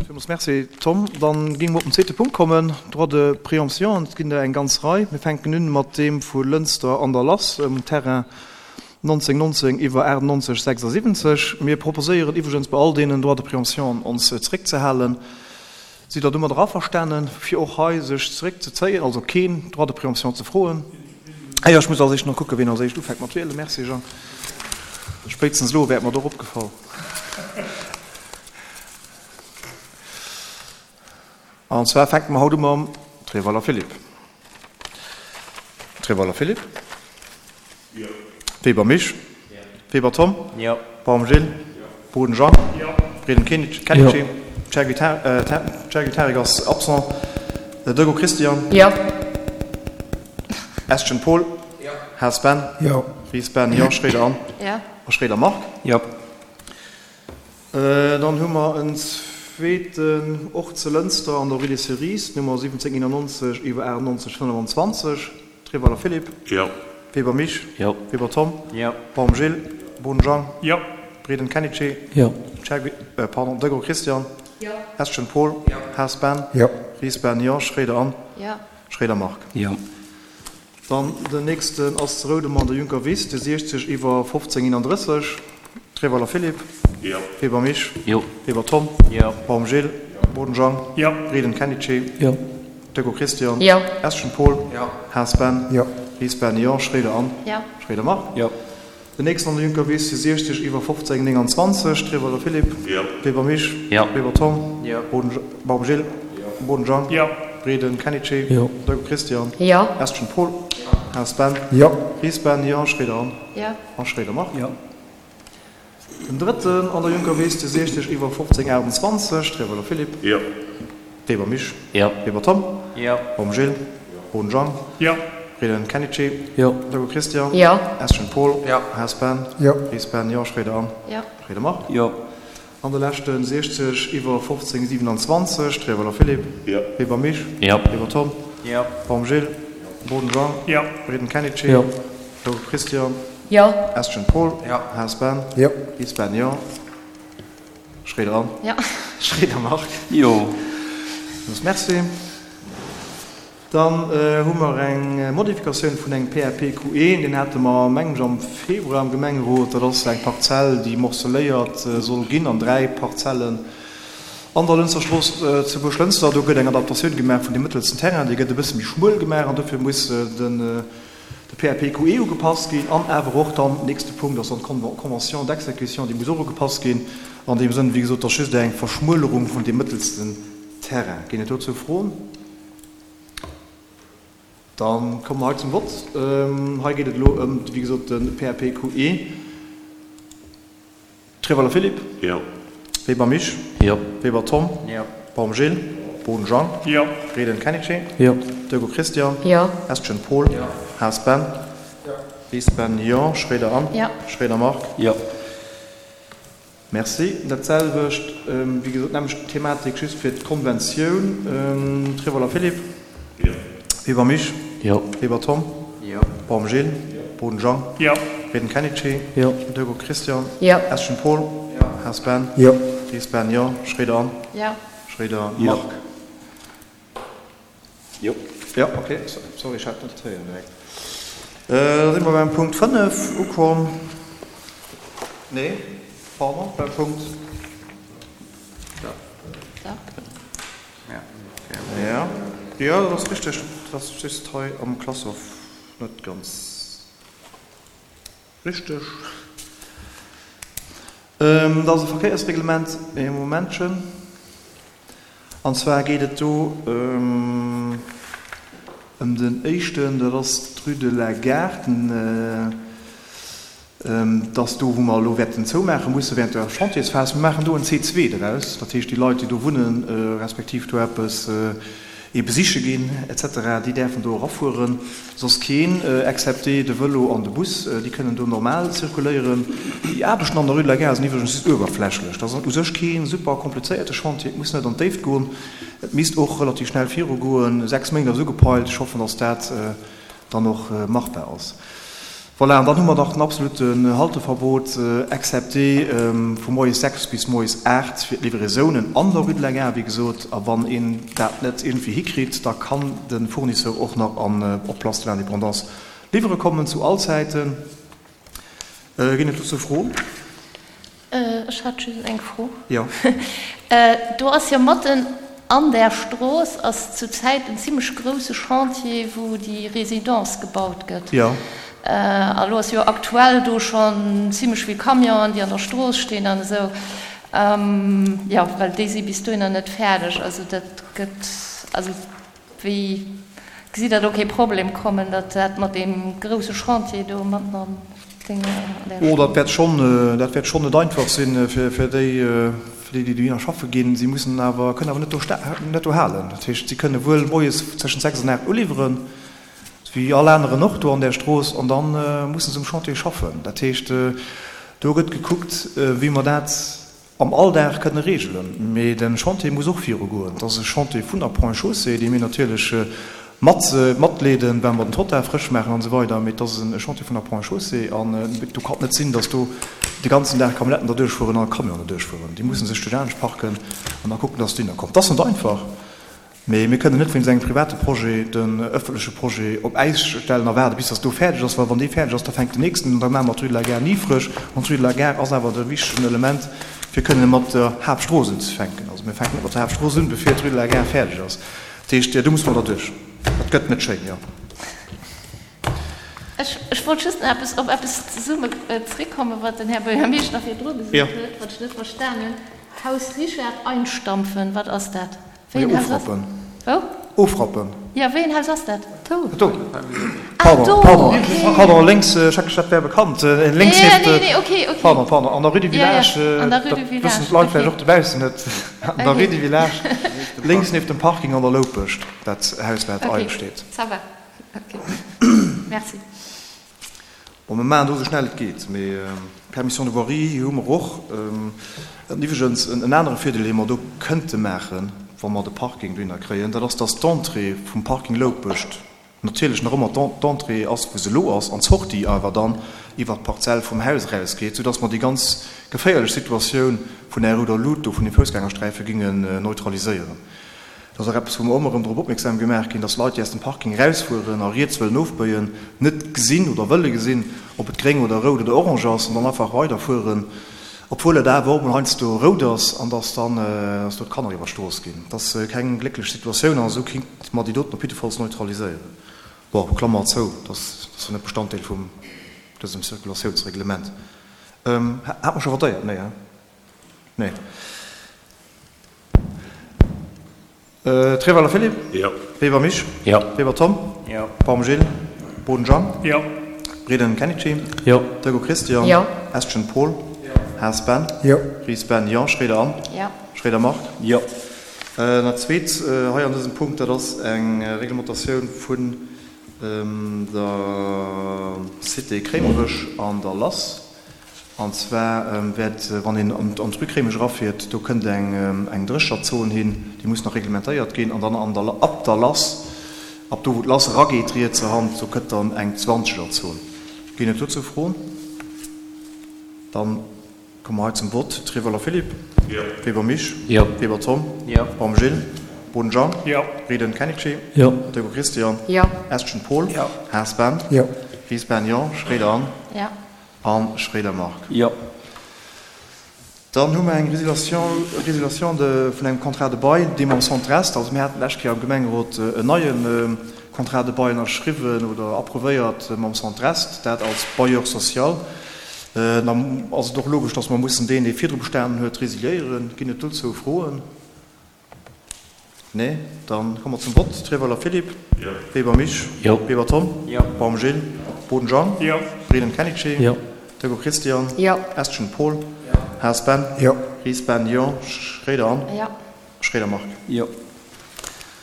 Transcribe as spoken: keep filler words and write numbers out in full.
Villmools Merci, Tom. Dann géinge mer op den zweete Punkt kommen, Droit de préemption. Et ginn der eng ganz Rei. Mir fänken un mat deem vu Lënster an der Lass um Terrain nonzéng nonzéng iwwer achtennonzeg sechsasiwwenzeg. Mir proposéieren iwwregens bei all deenen Droits de préemption ons zeréckzehalen. Sidd Der domadder averstanen, fir och hei sech zeréckzezéien, also keen Droit de préemption ze froen? Ah jo, ech muss als éischt nach kucken, wien als éischt ufänkt mat wielen. Merci, Jean. Spéitstens elo wär et mer doch opgefall. An zwar fänke mer haut u mam Trewaller Philippe. Trewaller Philippe. Jo. Weber Misch. Jo. Weber Tom. Jo. Baum Gilles. Jo. Boden Jean. Jo. Redem Kenichi. Chergui Tarik ass absent. Dego Christian. Jo. Estgen Paul. Jo. Haas Ben. Jo. Ries Ben, jo. Schroeder Anne. Jo. A Schroeder Marc. Jo. Dann hu mer en zweeten, och zu Lënster an der Rue des Cerises, Nummer siwwenzéng eenannonzeg iwwer achtennonzeg fënnefenzwanzeg, Trewaller Philippe. Jo. Weber Misch. Jo. Weber Tom. Jo. Baum Gilles. Boden Jean. Jo. Breden Kenichi. Jo. Chergui, pardon, Degro Christian. Jo. Estgen Paul. Jo. Haas Ben. Jo. Ries Ben, jo. Schroeder Anne. Jo. Schroeder Marc. Jo. Dann den nächsten ass zu Roudemer an der Juncker Wiss, de siechzeg iwwer fofzéng eenandrësseg, Trewaller Philippe. Jo. Weber Misch. Jo. Weber Tom. Jo. Baum Gilles. Jo. Boden Jean. Jo. Breden Kenichi. Jo. Deggo Christian. Jo. Estgen Paul. Jo. Haas Ben. Jo. Ries Ben, jo. Schroeder Anne. Jo. Schroeder Marc. Jo. Den nächsten an der Juncker Wiss, de siechzeg iwwer fofzéng nénganzwanzeg, Trewaller Philippe. Jo. Weber Misch. Jo. Weber Tom. Jo. Boden, Baum Gilles. Jo. Boden Jean. Jo. Breden Kenichi. Jo. Deggo Christian. Jo. Estgen Paul. Haas Ben. Jo. Ries Ben, jo. Schroeder Anne. Jo. A Schroeder Marc. Jo. Den drëtten an der Juncker Wiss, de siechzeg iwwer fofzéng achtenzwanzeg, Trewaller Philippe. Jo. Weber Misch. Jo. Weber Tom. Jo. Baum Gilles. Jo. Boden Jean. Jo. Breden Kenichi. Jo. Deggo Christian. Jo. Estgen Paul. Jo. Haas Ben. Jo. Ries Ben, jo. Schroeder Anne. Jo. Schroeder Marc. Jo. An de leschten, siechzeg iwwer fofzéng siewenanzwanzeg, Trewaller Philippe. Jo. Weber Misch. Jo. Weber Tom. Jo. Baum Gilles. Boden Jean. Jo. Breden Kenichi. Jo. Deggo Christian. Jo. Estgen Paul. Jo. Haas Ben. Jo. Ries Ben, jo. Schroeder Anne. Jo. Schroeder Marc. Jo. Merci. Dann hu mer eng Modifikatioun vun engem P A P Q E, deen hate mer, mengen ech, am Februar am Gemengerot. Dat ass eng Parzell, déi morceléiert soll ginn an dräi Parzellen an der Lënster Strooss zu Buerglënster. Do gëtt eng Adaptatioun gemaach vun dem mëttelsten Terrain, dee gëtt e bësse méi schmuel gemaach an dofir muss den de P A P Q E ugepasst ginn an awer och dann, nächste Punkt ass dann d'Convention d'exécution, déi muss och ugepasst ginn. An deem Sënn, wéi gesot, dat ass just eng Verschmuelerung vun dem mëttelsten Terrain. Ginn et dozou Froen? Dann kommen wir heute zum Wort. Ähm, hei geht et elo ëm, wéi gesot, den P A P Q E. Trewaller Philippe. Jo. Weber Misch. Jo. Weber Tom. Jo. Baum Gilles. Boden Jean. Jo. Breden Kenichi. Jo. Deggo Christian. Jo. Estgen Paul. Jo. Haas Ben. Jo. Ries Ben, jo. Schroeder Anne. Jo. Schroeder Marc. Jo. Merci. Dat selwecht, ähm, wéi gesot, nämlech d'Thematik just fir d'Konventioun. Ähm, Trewaller Philippe. Jo. Weber Misch. Jo. Weber Tom. Jo. Baum Gilles. Jo. Boden Jean. Jo. Breden Kenichi. Jo. Deggo Christian. Jo. Estgen Paul. Jo. Haas Ben. Jo. Ries Ben, jo. Schroeder Anne. Jo. Schroeder Jo. Marc. Jo. Ja, okay. Sorry, ich hatte net héieren direkt. Äh, da si mer beim Punkt fënnef ukomm. Nee, pardon, beim Punkt. Ja. Ja. Ja. Ja, dat ass richteg. Dat ass just hei am Classeur net ganz richteg. Ähm, dat ass e Verkéiersreglement. E Momentchen. An zwar geet et do, ähm, ëm den éischten, dat ass d'Rue de la Gare, den, äh, ähm, dat ass do, wou mer elo wäerten zoumaache musse während der Chantiersphase. Mir maachen do en C zwee draus, dat heescht, déi Leit, déi do wunnen, äh, respektiv do eppes, äh, ee besiche ginn, et cetera, déi däerfen do erafueren, soss keen, äh, excepté de Vëlo an de Bus, äh, déi kënnen do normal zirkuléieren. Déi Aarbechten an der Rue de la Gare sinn iwwregens just uewerflächlech. Dat ass u sech keen super komplizéierte Chantier, et muss net an d'Déift goen, et misst och relativ schnell virugoen. Sechs Méint ass ugepeilt, ech hoffen, dass dat, äh, dann och, äh, machbar ass. Voilà, an dann hu mer nach den absoluten Halteverbot, excepté vu moies sechs bis moies aacht fir d'Livraisonen an der Rue de la Gare, wéi gesot. A wann een dat net iergendwéi hikritt, da kann de Fournisseur och nach an op d'Place de l'Indépendance liwwere kommen, zu all Zäiten. Ginn et dozou Froen? Ech hat just eng Fro. Jo. Do ass jo matten an där Strooss ass zu Zäit en zimlech grousse Chantier, wou déi Résidence gebaut gëtt. Jo. A lo ass jo aktuell do schonn zimlech vill Camionen, déi an der Strooss stinn an esou. Jo, well déi si bis dohinner net fäerdeg. Also dat gëtt, also wéi gesitt Der do kee Problem kommen, datt dat mat deem grousse Chantier do matten an denger, an där Oh, dat Strooss? wäert schonn, dat wäert schonn net einfach sinn fir, fir déi, fir déi, déi dohinner schaffe ginn. Si mussen awer, kënnen awer net do sta, net do halen. Dat heescht, si kënne wuel moies tëschent sechs an aacht uliwweren, wéi all aneren och do an där Strooss, an da musse se um Chantier schaffen. Dat heescht, do gëtt gekuckt, wéi mer dat am Alldag kënne regelen. Mee de Chantier muss och virugoen. Et ass e Chantier vun der Ponts et Chaussées, dee mir natierlech mat matleeden, well mer den Trottoir frësch maachen an esou weider. Mee et ass e Chantier vun der Ponts et Chaussées an do kann et net sinn, datt do de ganzen Dag Camionnetten derduerchfueren a Camionen derduerchfueren. Déi musse sech duerch anescht parken an da kucken, datt se dohinner kommen. Et ass net einfach. Mee mir kënnen net wéinst engem private Projet den ëffentleche Projet op Äis stellen a waarde bis datt do fäerdeg ass, well wann dee fäerdeg ass, da fänkt den nächsten un, da maache mer d'Rue de la Gare ni frësch. An d'Rue de la Gare ass awer de wichtegen Element, fir kënne mat der Haaptstrooss unzefänken. Also mir fänken net mat der Haaptstrooss un, bevir d'Rue de la Gare fäerdeg ass. Dat heescht, do musse mer derduerch. Dat gëtt net schéin, jo. Ech wollt just nach eppes op eppes zesumme zréckkommen, wat den Här Buergermeeschter virdru gesot huet, wat ech net verstan hunn. Haus Richard einstampfen, wat ass dat? Wéi een Haus ass. Ofrappen. Wou? Ofrappen. Jo, wéi een Haus ass dat? Do. Do. Ah, Pardon, do, pardon, okay. Pardon, lénks, ech hat gedacht, dat wär bekannt. Lénks Ja, nieft, nee, nee, okay, okay. Pardon, pardon, an der Rue du Ja, ja, Village, an der Rue dat du wëssen Village, d'Leit vläicht okay. och dobaussen net. An der Rue Okay. du Village, lénks nieft dem Parking an der Loupescht, dat Haus, wat Okay, eidel steet. ça va. Okay. Merci. Bon, mir maachen do esou schnell et geet, mee Permission de voirie hu mer och. An iwwregens en anere Virdeel, dee mer do kënnte maachen, wa mer de Parking dohinner kréien, dat ass, dass d'Entrée vum Parking Loupescht natierlech nach ëmmer d'Entrée ass, wou se elo ass, an d'Sortie awer dann iwwert d'Parzell vum Haus erausgeet, soudass mer déi ganz geféierlech Situatioun vun der Rouder Lut do, vun dem Foussgängersträife gingen neutraliséieren. Dat ass och eppes, wou mer ëmmer erëm drop opmierksam gemaach ginn, dass Leit, déi aus dem Parking erausfueren a riets wëllen ofbéien, net gesinn oder wëlle gesinn, ob et gréng oder rout oder orange ass, an dann einfach weiderfueren, obwuel et awer och mol heiansdo rout ass, an dass dann dass do d'Kanner iwwer d'Strooss ginn. Dat ass keng glécklech Situatioun, an esou kéinte mer déi doten op jiddefalls neutraliséieren. Bon, Klammer zou, dat ass jo net Bestanddeel vum dësem Circulatiounsreglement. Hat mer scho votéiert? Nee, hein? Nee. Treweiler Philippe. Jo. Weber Misch. Jo. Weber Tom. Jo. Baum Gilles. Boden Jean. Jo. Breden Kenichi. Jo. Dego Christian. Jo. Estgen Paul. Jo. Haas Ben. Jo. Ries Ben, jo. Schroeder Anne. Jo. Schroeder Marc. Jo. Dat Zweet hei an dësem Punkt, dat ass eng Reglementatioun vun der Cité Kréimerech an der Lass. An zwar wäert, wann een an d'Rue Kréimech erafiert, do kënnt eng Drécherzon hin, déi muss nach reglementéiert ginn. An dann an der, ab der Lass, ab do wou d'Lass erageet rietser Hand, do kënnt dann eng Zwanzegerzon. Ginn et dozou Froen? Dann komme mer hei zum Vott. Treweiler Philippe. Jo. Weber Misch. Jo. Weber Tom. Jo. Baum Gilles. Boden Jean. Jo. Breden Kenichi. Jo. Dego Christian. Jo. Estgen Paul. Jo. Haas Ben. Jo. Ries Ben, jo. Schroeder Anne. Jo. An Schroeder Marc. Jo. Dann hu mer eng Résiliation, Résiliation de, vun engem Contrat de bail, dee mam Centre Est, also mir haten d'lescht Kéier am Gemengerot en neie Contrat de bail ënnerschriwwen oder approuvéiert mam Centre Est, dat als Bailleur social. Dann ass et och logesch, dass mer mussen deen, dee virdru bestanen huet, résiliéieren. Ginn et dozou Froen? Nee? Dann komme mer zum Vott. Treweiler Philippe. Jo. Weber Misch. Jo. Weber Tom. Jo. Baum Gilles. Boden Jean. Jo. Breden Kenichi. Jo. Dego Christian. Jo. Estgen Paul. Haas Ben. Jo. Ries Ben, jo. Schroeder Anne. Jo. Schroeder Marc. Jo.